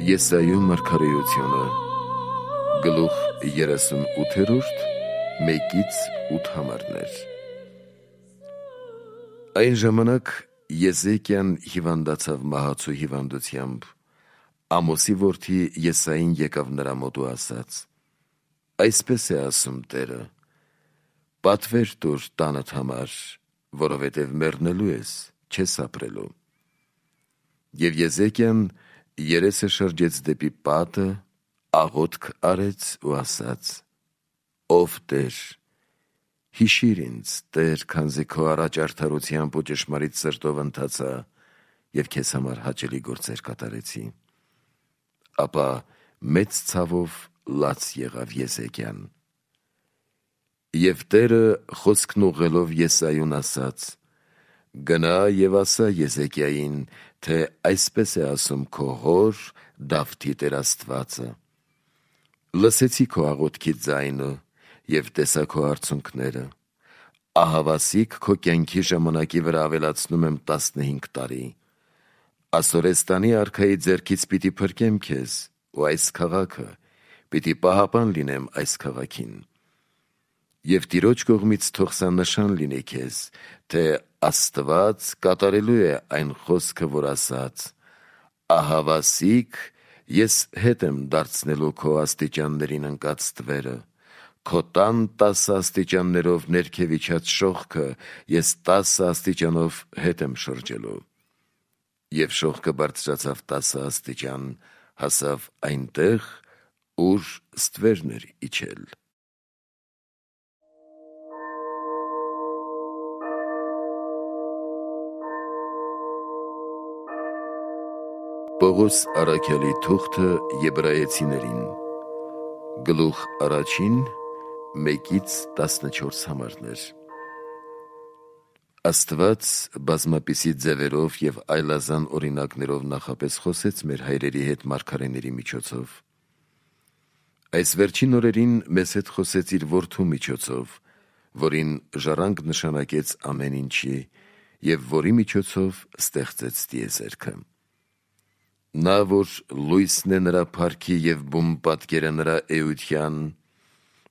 Եսայու մարգարեությունը, գլուխ 38, 1-8 համարներ։ Այն ժամանակ Եզեկիան հիվանդացավ մահացու հիվանդությամբ, Ամոսի որդի Եսային եկավ նրա մոտ ու ասաց. «Այսպես է ասում Տերը. պատվեր տուր տանդ համար, որովհետև մեռնելու ես, չես ապրելու»։ Եվ Եզեկիան երեսը շրջեց դեպի պատը, աղոթք արեց ու ասաց. «Ով Տեր, հիշիր ինձ, Տեր, քանզի քո առաջ արդարությամբ ու ճշմարիտ սրտով ընթացա և քեզ համար հաճելի գործեր կատարեցի»։ Ապա մեծ ցավով լաց եղավ Եզեկիան։ Եվ Տերը խոսքն ուղղելով Եսայուն ասաց. «Գնա և ասա Եզեկիային, թե այսպես է ասում քո հոր Դավթի Տեր Աստվածը. լսեցի քո աղոթքի ձայնը և տեսա քո արցունքները, ահավասիկ քո կյանքի ժամանակի վրա ավելացնում եմ 15 տարի, Ասորեստանի արքայի ձեռքից պիտի փրկեմ քեզ ու այս քաղաքը, պիտի պահապան լինեմ այս քաղաքին։ Եվ Տիրոջ կողմից թող սա նշան լինի քեզ, թե Աստված կատարելու է այն խոսքը, որ ասաց. ահավասիկ ես հետ եմ դարձնելու քո աստիճաններին ընկած ստվերը, քո տան 10 աստիճաններով ներքև իջած շողքը ես 10 աստիճանով հետ եմ շրջելու։ Եվ շողքը բարձրացավ 10 աստիճան, հասավ այնտեղ, ուր ստվերն էր իջել»։ Պողոս առաքյալի թուղթը Եբրայեցիներին, գլուխ 1, 1-14 համարներ։ Աստված բազմապիսի ձևերով և այլազան օրինակներով նախապես խոսեց մեր հայրերի հետ մարգարեների միջոցով։ Այս վերջին օրերին մեզ հետ խոսեց իր որդու միջոցով, որին ժառանգ նշանակեց ամեն ինչի և որի միջոցով ստեղծեց տիեզերքը։ Նա, որ լույսն է նրա փառքի և բուն պատկերը նրա էության,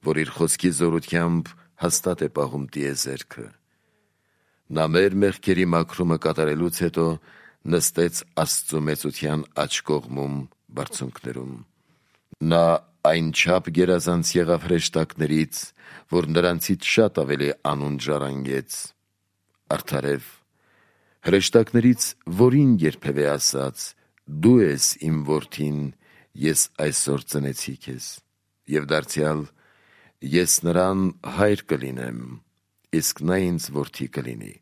որ իր խոսքի զորությամբ հաստատ է պահում տիեզերքը։ Նա մեր մեղքերի մաքրումը կատարելուց հետո նստեց Աստծու մեծության աջ կողմում բարձունքներում։ Նա այնչափ գերազանց եղավ հրեշտակներից, որ նրանցից շատ ավելի անուն ժառանգեց։ Արդարև, հրեշտակներից որին երբևէ ասաց. «Դու ես իմ որդին, ես այսօր ծնեցի քեզ», և դարձյալ «Ես նրան հայր կլինեմ, իսկ նա ինձ որդի կլինի»։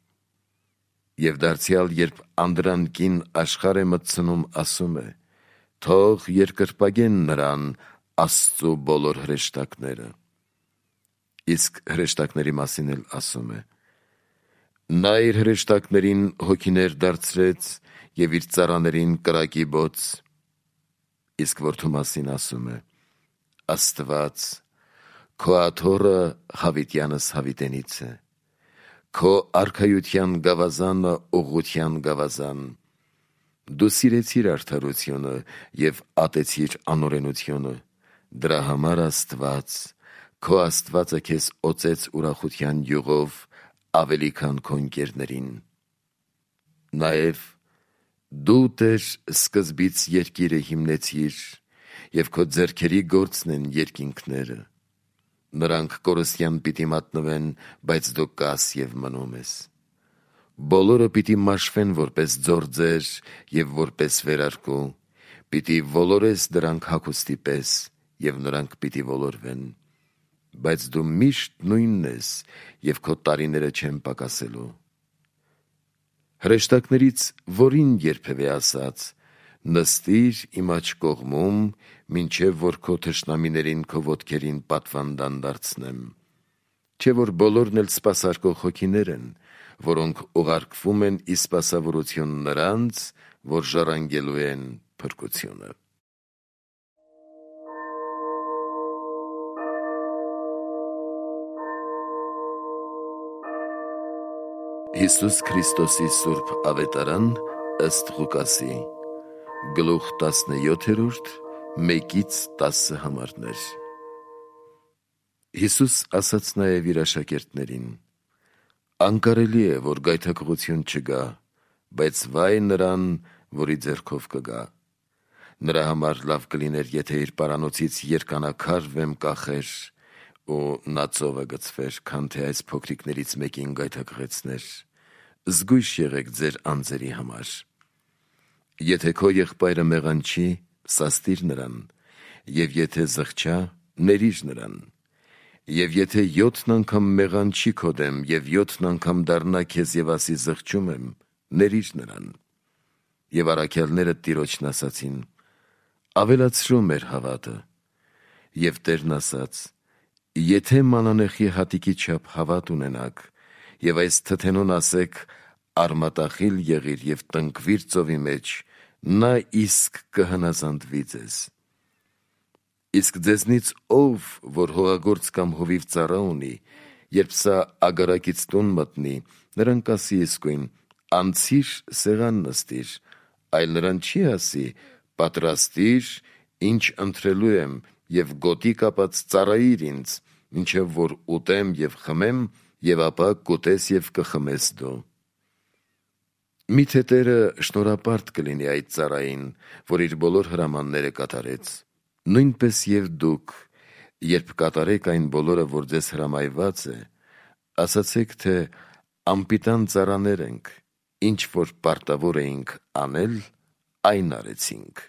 Եվ դարձյալ, երբ անդրանքին աշխարհ է մտցնում, ասում է. «Թող երկրպագեն նրան Աստծու բոլոր հրեշտակները»։ Իսկ հրեշտակների մասին էլ ասում է. «Նա իր հրեշտակներին հոգիներ դարձրեց և իր ծառաներին կրակի բոց»։ Իսկ որդու մասին ասում է. «Աստված, քո աթոռը հավիտյանս հավիտենից է, քո արքայության գավազանը ուղղության գավազան։ Դու սիրեցիր արդարությունը և ատեցիր անօրենությունը, դրա համար Աստված, քո Աստվածը քեզ օծեց ուրախության յուղով ավելի քան քո ընկերներին։ Նաև դու, Տեր, սկզբից երկիրը հիմնեցիր, և քո ձեռքերի գործն են երկինքները։ Նրանք կորստյան պիտի մատնվեն, բայց դու կաս և մնում ես։ Բոլորը պիտի մաշվեն որպես ձորձեր և որպես վերարկու, պիտի ոլորես դրանք հագուստի պես, և նրանք պիտի ոլորվեն։ Բայց դու միշտ նույնն ես, և քո տարիները չեն պակասելու։ Հրեշտակներից որին երբևէ ասաց. «Նստիր իմ աջ կողմում, մինչև որ քո թշնամիներին քո ոտքերին պատվանդան դարձնեմ»։ Չէ՞ որ բոլորն էլ սպասարկող հոգիներ են, որոնք ուղարկվում են ի սպասավորություն նրանց, որ ժառանգելու են փրկությունը։ Հիսուս Քրիստոսի սուրբ ավետարան ըստ Ղուկասի, Գլուխ 17, 1-10 համարներ։ Հիսուս ասաց նաև իր աշակերտներին. «Անկարելի է, որ գայթակղություն չգա, բայց վայ նրան, որի ձեռքով կգա։ Նրա համար լավ կլիներ, եթե իր պարանոցից երկանաքար վեմ կախեր, ու նա ծովը գցվեր, քան թե այս փոքրիկներից մեկին գայթակղեցներ։ Զգույշ եղեք ձեր անձերի համար։ Եթե քո եղբայրը մեղանչի, սաստիր նրան, և եթե զղջա, ներիր նրան։ Եվ եթե 7 անգամ մեղանչի քո դեմ, և 7 անգամ դառնա քեզ և ասի զղջում եմ, ներիր նրան»։ Եվ առաքյալները տիրոջն ասացին. «Ավելացրու մեր հավատը»։ Եվ Տերն ասաց. «Եթե մանանեխի հատիկի չափ հավատ ունենաք, և այս թթենուն ասեք. «Արմատախիլ եղիր և տնկվիր ծովի մեջ», նա իսկ կհնազանդվի ձեզ։ Իսկ ձեզնից ով, որ հողագործ կամ հովիվ ծառա ունի, երբ սա ագարակից տուն մտնի, նրան կասի իսկույն. «Անցիր սեղան նստիր», այլ նրան չի ասի. «Պատրաստիր, ինչ ընտրելու եմ, և գոտի կապած ծառայիր ինձ, մինչև որ ուտեմ և խմեմ, և ապա կուտես և կխմես դու»։ Միթե Տերը շնորհապարտ կլինի այդ ծառային, որ իր բոլոր հրամանները կատարեց։ Նույնպես և դուք, երբ կատարեք այն բոլորը, որ ձեզ հրամայված է, ասացեք, թե անպիտան ծառաներ ենք, ինչ որ պարտավոր էինք անել, այն արեցինք։